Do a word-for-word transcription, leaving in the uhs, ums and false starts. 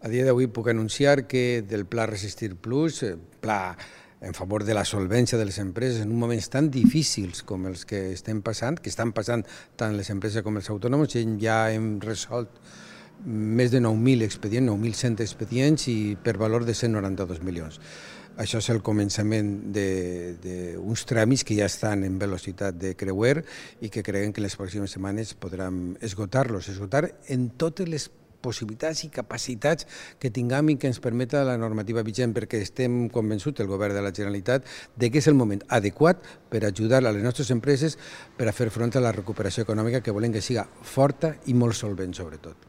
A dia d'avui puc anunciar que del Pla Resistir Plus, pla en favor de la solvència de les empreses en uns moments tan difícils com els que estem passant, que estan passant tant les empreses com els autònoms, ja hem resolt més de nou mil expedients, nou mil cent expedients i per valor de cent noranta-dos milions. Això és el començament d'uns tràmits que ja estan en velocitat de creuer i que creiem que en les pròximes setmanes podran esgotar-los, esgotar en totes les possibilitats i capacitats que tinguem i que ens permeta la normativa vigent, perquè estem convençuts, el govern de la Generalitat, de que és el moment adequat per ajudar a les nostres empreses per a fer front a la recuperació econòmica que volem que siga forta i molt solvent, sobretot.